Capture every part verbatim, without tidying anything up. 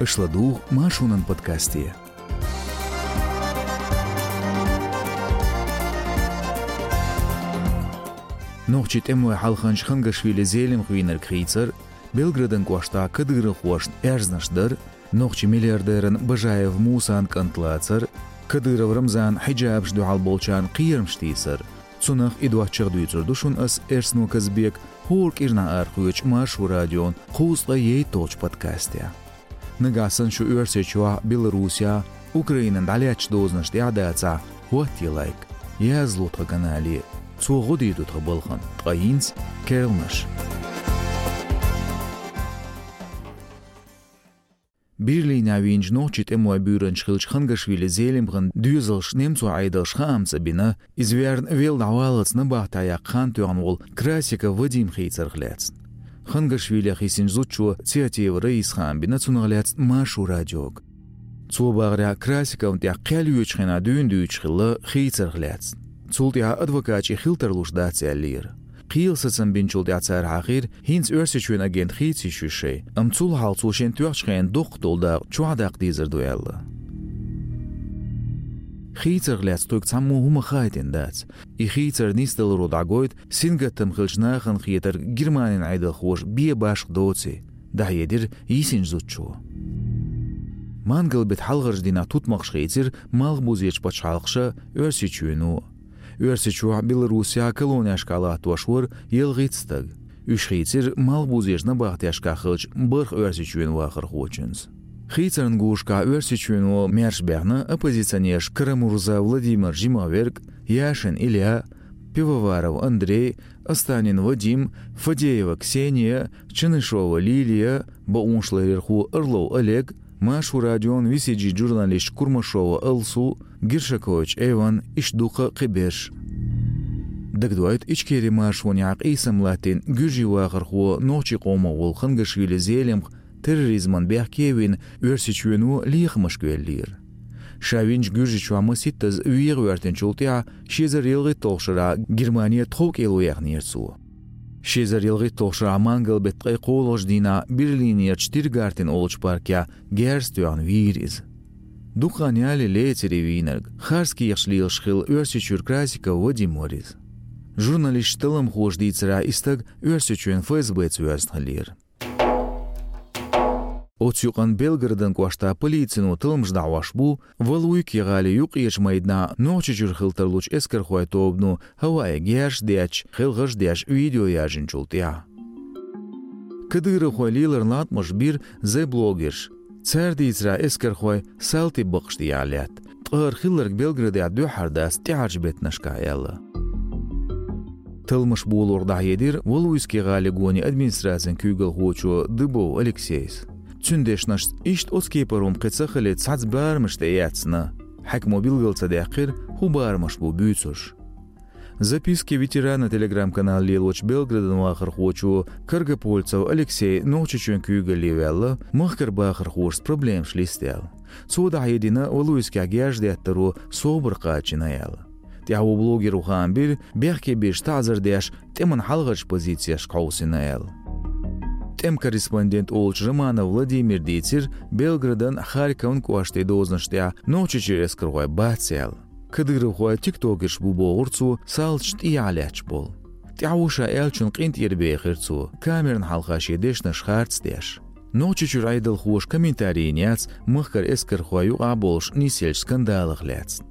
Аша ладугӀу Маршонан подкасте. Нохчийн тӀемалой хьалханча Хангашвили Зелимха вийнарг хийцар, Белгородан кӀоштахь кадыровхошна аьрзнаш дар, нохчийн миллиардеран Бажаев Мусан кӀант лацар, Кадыров Рамзана хьиджабашна дуьхьал болчарна кхерамаш тийсар. Цунах а, и доцчух а дуьйцур ду шуна ас, Эрсано Казбека, хӀора кӀирнахь арахоьцучу Маршо радион кхузткъе ейтталгӀачу подкасте. Нагахь санна шу Оьрсийчохь, Беларусехь, Украинехь дӀалаьцначу дозанаш тӀехь дацахь, хӀоттае лайк, язло тхан канале. Цо гӀо дийр ду тхан балхана, ткъа хӀинца керланаш. Берлинехь вийначу нохчийн тӀемалойн буьйранча хиллачу Хангашвили Зелимхан доьзалш немцойн Ӏедалша хаам ца бина, иза верна велла дӀаваллалц набахтехь яккха хан тоьхна волу Красиков Вадим хийцарх лаьцна. Хангашвилех йисинчу зудчо Цеатиева Раиса хаам бина цунах лаьцна Маршо радиога. Цо бахарехь, Красиковна тӀехь кхел йоьдучу хенахь дуьйна дуьйцуш хилла хийцарх лаьцна. Цул тӀаьхьа адвокаташ и хила тарлуш дац аьллера. Кхелан сацам бинчул тӀаьхьа цара хьахийра, хӀинца Оьрсийчоьнан агент хийца йиш ю шайн, амма цул хьалха цо шен тоьхначу хенан доккха долу дакъа чохь даккха дезар ду аьлла. Хийцарх лаьцна тхоьга цхьаммо хӀума хаийтина дац. И хийцар нисдаларо дӀагойту сингаттам хиллачу нахана хетарг Германин Ӏедалхоша бен башха доций, дӀахьедира йисинчу зудчо. Мангал-беттан хьалхарчу дийнахь тутмакхаш хийцира малхбузерчу пачхьалкхаша, Оьрсийчоьно. Оьрсийчохь, Беларусехь колонешкахь латтош вара ялхитта стаг. Уьш хийцира малхбузерчу набахтешкахь хиллачу бархӀ Оьрсийчоьнан вахархочуьнца. Хийцаран гурашкахь Оьрсийчоьно маьрша баьхна оппозиционерш Карамурза Владимир жимахверг, Яшин Илья, Пивоваров Андрей, Останин Вадим, Фадеева Ксения, Чанышева Лилия, бакъонашларъярхо Орлов Олег, Маршо радион V C G журналисташ Курмашева Алсу, Гершакович Эван, иштта дуккха а кхиберш. Дагадоуьйту, Ичкерин маршонехь къийсам латтийна гуьржийн вахархо, нохчийн къомах волу Хангашвили Зелимха терроризман бехке а вина, Оьрсийчоьно лехамашка веллера. Ша винчу Гуьржийчохь масийттаза вегӀа гӀоьртинчул тӀаьхьа ши эзар ялхитталгӀачу шарахь Германе тховкӀело яьхнера цо. Ши эзар ялхитталгӀачу шарахь мангал-беттан ткъе кхоалгӀачу дийнахь Берлинерчу Тиргартен олучу парке герз тоьхна вийра иза. Дукха хан ялале лецира и вийнарг, харц кехаташ лелаш хилла Оьрсийчуьра Красиков Вадим вара иза. Журналисташ талламхоша дийцарехь, и стаг Оьрсийчоьнан ФСБ-ца воьзна хиллера. Оцу юкъанна Белгородан кӀоштахь полицино талламаш дӀахьош бу Валуйки гӀалин юккъерчу майданахь Нохчийчуьра хила тарлучу эскархойн тобано хӀаваъе герзаш детташ, хелхарш а деш, видео яржинчул тӀаьхьа. Кадыровхойн леларан латкъамаш бира Z-блогерша. Цара дийцарехь, эскархой салтий бакъаш тӀехь лаьтта, ткъа хӀара хилларг Белгородехь дуьххьара дац тӀаьхьарчу беттанашкахь аьлла. Талламаш болорах дӀахьедира Валуйски гӀалин гонан администрацин куьйгалхочо Дыбов Алексейс. Цуьнан дешнашца, иштта оцу кепара хӀума кхин ца хилийта цхьацца барамаш тӀеэцна. Хьаькамо билгал ца даьккхира, хӀун барамаш бу буьйцурш. «Записки ветерана» Telegram-канал лелочу Белгородан вахархочо Каргопольцев Алексей Нохчийчоьнан куьйгалле ваьлла, махкара бахархошца проблемаш листа аьлла. Цо дӀахьедина Валуйскехь герз деттаро собар кхачийна аьлла. ТӀаьхьо блогеро хаам бира, бехке беш таӀзар деш, тӀеман хьалхарчу позицешка хьовсийна аьлла. ТӀеман корреспондент олучу Романов Владимира дийцира Белгородан, Харькован кӀоштийн дозанаш тӀехь Нохчийчуьра эскархой бац аьлла. Кадыровхой тиктокерш бу бохура цо, салташ тӀехьа лаьтташ болу. ТӀаьхьо ша аьллачун къинтӀера бехира цо, камеран хьалха шен дешнаш харц деш. Нохчийчуьра Ӏедалхоша комментарий йина яц махкара эскархой юкъахь болуш нисъеллачу скандалах лаьцна.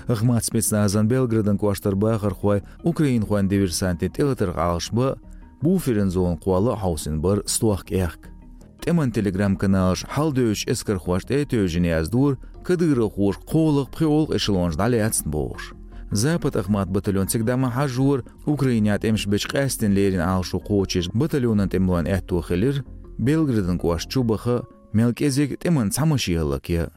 Ахмат спецназан Белгородан кӀоштара бахархой украинхойн диверсантийн тӀелатарх Ӏалашбан, буферан зона кхолла а хьовсийна бара стохка аьхка. ТӀеман Telegram-каналаша хьалдевзачу эскархошна тӀе а тевжина яздора, кадыровхоша кхоалгӀа-пхоьалгӀа эшелонаш дӀалаьцна бохуш. Запад-Ахмат батальон цига дӀа ма хьажжора, Украинехь тӀемаш бечу къаьсттина леррина Ӏалашо кхочуш батальонан тӀемалойн аьтто хилира Белгородан кӀошта чу баха, мел кӀезиг тӀеман цхьа машен хӀаллакъян.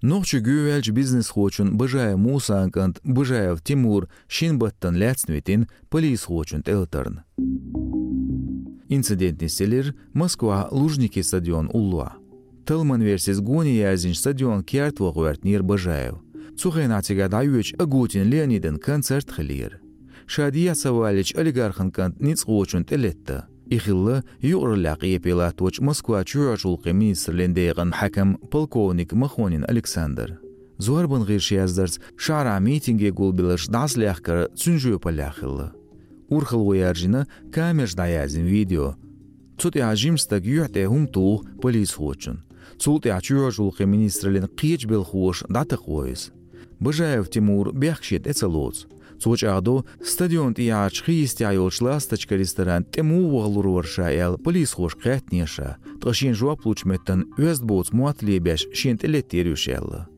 Нохчийчу гӀоьваьллачу бизнесхочун Бажаев Мусан кӀант Бажаев Тимур шина баттана лаьцна витина полисхочун тӀелатарна. Инцидент нисделира Москвахь Лужники стадион уллохь. Талламан версица, гонах яздинчу стадионан керта ваха гӀоьртинера Бажаев. Цу хенахь цигахь дӀайоьдуш Агутин Леонидан концерт хиллера. Ша дехьа ца валлича, олигархан кӀант ницкъахочунна тӀелетта. И хилла юкъараллехь къепе латточу Москва чоьхьарчу гӀуллакхийн министраллин декъан хьаькам полковник Махонин Александр. Зорбан гӀирсаша яздарца, шахьарахь митинге гулбелларш дӀасалаьхкар цуьнан жоьпаллехь хилла. Урхалло яржийна камераш дӀаяздина видео. Цу тӀехь жима стаг юьхь тӀе хӀума туху полисхочунна. Цул тӀаьхьа чоьхьарчу гӀуллакхийн министраллин кхечу белхахоша дӀатакхаво иза. Бажаев Тимур бехк шен тӀе ца лоцу. Цо чӀагӀдо, стадион тӀехьарчу хи йистехь йолчу «Ласточка» ресторан тӀе муха ваха лур вара ша аьлла, полисхошка хаьттинера ша, ткъа шена жоп лучу меттана оьзда боцу мотт лебеш шена тӀелеттера уьш аьлла.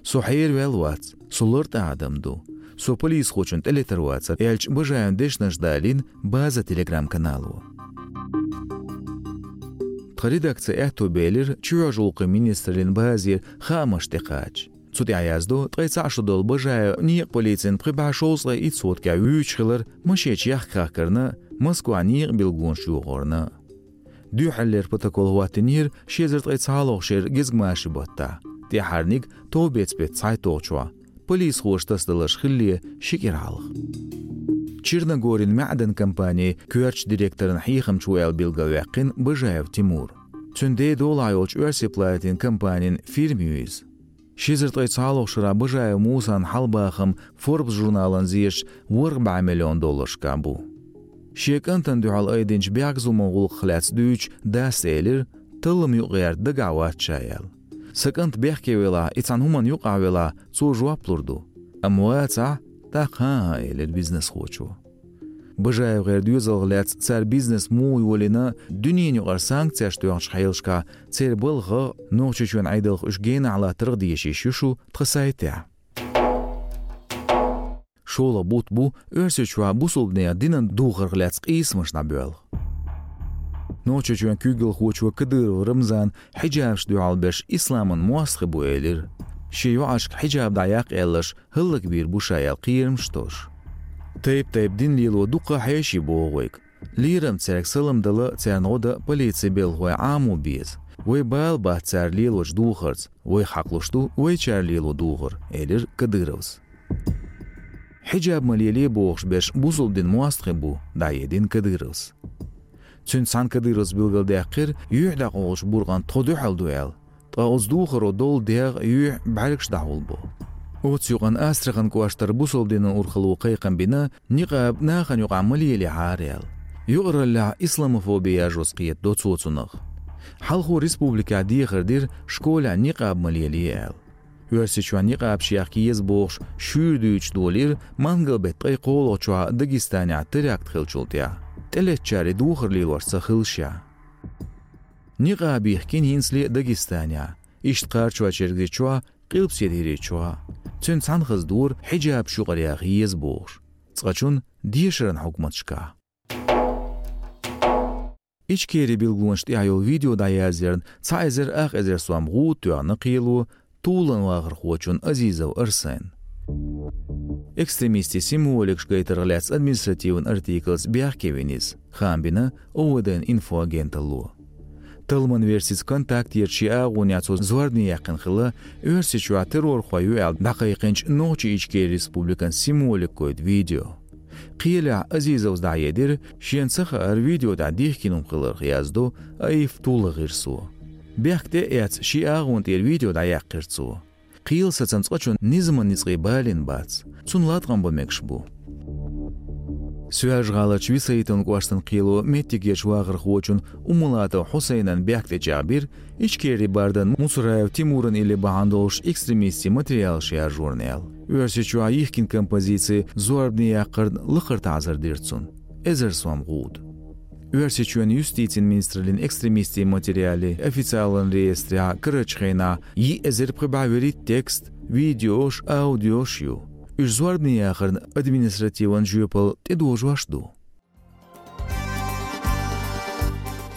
«Со хьераваьлла вац, со лартӀа адам ду. Со полисхочунна тӀелетар вацара», — аьллачу Бажаевн дешнаш далийна «База» Telegram-канало. Тхан редакцин аьтто белира чоьхьарчу гӀуллакхийн министраллин базера хаамаш тӀекхача. Цу тӀехь яздо, ткъе цхьаъ шо долу Бажаев некъан полицина пхи бӀе шовзткъе итт соткехь вуьйцуш хилар машенаш яхка хахкарна, Москвахь некъан билгалонаш йохорна. Дуьххьарлера протокол хӀоттийнера ши эзар ткъе цхьалгӀачу шеран гезгмашин баттахь, тӀаьххьарниг товбеца беттан цхьайтталгӀачохь, полисхоша тасадаларш хилале ши кӀира хьалха. Черногорин маьӀдан компанин коьртачу директоран хьехамча ву аьлла билгалваьккхина Бажаев Тимур. Цуьнан ден долахь йолчу оьрсийн платинан компанин фирма ю иза. Ши эзар ткъе цхьалгӀачу шарахь Бажаев Мусан хьалабахам Forbes журналан зераш ворхӀ бӀе миллион долларшкахь бу. Шен кӀантана дуьхьал айдинчу бехказлуман гӀуллакхах лаьцна дуьйцуш дас элира, таллам юкъагӀерта дагахь вац ша аьлла. Сан кӀант бехке велахь, и цхьана хӀуманна юкъахь велахь, цо жоп лур ду. Амма вацахь, тӀаккха хӀан-хӀа, элира бизнесхочо. БажаевгӀеран доьзалх лаьцна цара бизнес муха йолийна, дуьненаюкъара санкцеш тоьхначу хьелашкахь церан балхах, Нохчийчоьнан Ӏедалх уьш генахь латтарх а дешийша ю шу тхан сайтехь. ШолгӀа бутт бу Оьрсийчохь бусалбанийн динан духарх лаьцна къийсамаш дӀабоьлху. Нохчийчоьнан куьйгалхочо Кадыров Рамзана хьиджабашна дуьхьал берш исламан мостагӀий бу элира. Шен йоӀашка хьиджаб дӀаяккха аьлларш хӀаллакбийр бу ша аьлла кхерамаш а тоьхна. Тайп-тайпана дин лело дуккха а хьеший богӀу вайга. Лерам цаьрга салам дала, царна гӀо дан полицин белхахой Ӏамо беза. Вай бала бац цара лелочу духарца, вайх хьакхалуш ду вайчара лело духар, элира Кадыровс. Хьиджаб ма лелае бохуш берш бусалба динан мостагӀий бу, дӀахьедина Кадыровс. Цуьнца цхьаьна Кадыровс билгалдаьккхира, юьхь дӀакъовлучу буркъанна тхо дуьхьал ду аьлла. Ткъа оцу духаро долу дегӀ, юьхь, бӀаьргаш дӀахьулбо. Оцу юкъанна Астрахань кӀоштара бусалба динан урхалло кхайкхам бина, никъаб нахана юкъахь ма лелехьара аьлла. Юкъараллехь исламофоби яржош кхетадо цо цунах. Хьалхо республикехь дехар дира школехь никъаб ма лелае аьлла. Оьрсийчохь никъабаш яхка еза бохуш шуьйра дуьйцуш долийра мангал-беттан ткъе кхоалгӀачохь Дагестанехь теракт хиллачул тӀаьхьа. ТӀелеттачара и духар лелош ца хилла ша. Никъаб йихкина хӀинцале а Дагестанехь, иштта Кхарачой-Чергазийчохь, Къилбаседа ХӀирийчохь. Цуьнца цхьаьна хаза дора хьиджабаш юкъара яха еза бохуш, цкъачунна дешаран хьукматашкахь. Ичкерин билгалонаш тӀехь йолу видео дӀаязъярна цхьа эзар ах эзар сом гӀуда тоьхна кхело Тулан вахархочунна Азизов Арсенна. Экстремистийн символикаш гайтарх лаьцна административан артиклца бехке вина иза, хаам бина ОВД-н инфоагенталло. Талламан версица, «Контактера» шен агӀонехь цо зорбане яьккхина хилла Оьрсийчохь террорхой ю аьлла дӀакхайкхинчу Нохчийн Ичкерин Республикан символика гойту видео. Кхелехь Азизовс дӀахьедира, шена ца хаьара видео тӀехь дихкина хӀума хиларх, яздо АИФ Тула гӀирсо. Бехк тӀе а эцна, шен агӀон тӀера видео дӀаяьккхира цо. Кхелан сацам цкъачунна низаман ницкъийн балийна бац. Цунна латкъам бан мегаш бу. Соьлжа-ГӀаларчу Висаитовн кӀоштан кхело меттигерчу вахархочун Уммулатов Хьусайнан бехк тӀечӀагӀбира, Ичкерин бардан Муцураев Тимуран илли бахьана долуш экстремистийн материалаш яржорна аьлла. Оьрсийчохь йихкина композици зорбане яккхарна лакхара таӀзар дира цунна. Эзар сом гӀуда. Оьрсийчоьнан юстицин министраллин экстремистийн материалий официалан реестрехь карарчу хенахь йиъ эзар пхи бӀе вуьрхӀитта текст, видеош, аудиош ю. Уьш зорбане яхарна административан жоьпалла тӀедожош ду.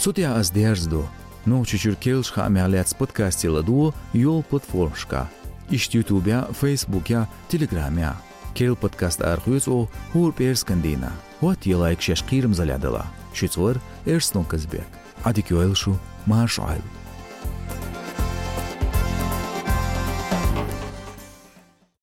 Цу тӀехь ас дерзадо. Нохчийчуьра керлачу хаамех лаьцна подкасташ ладогӀа йолу платформашкахь. Иштта Ютубехь, Фейсбукехь, Телеграмехь. Керла подкаст арахоьцу оха хӀора пӀераскан дийнахь. ХӀоттае лайк шаьш кхерамзаллехь далахь. Шуьца вара Эрснон Казбек. Ӏадика йойла шу, марша Ӏойла.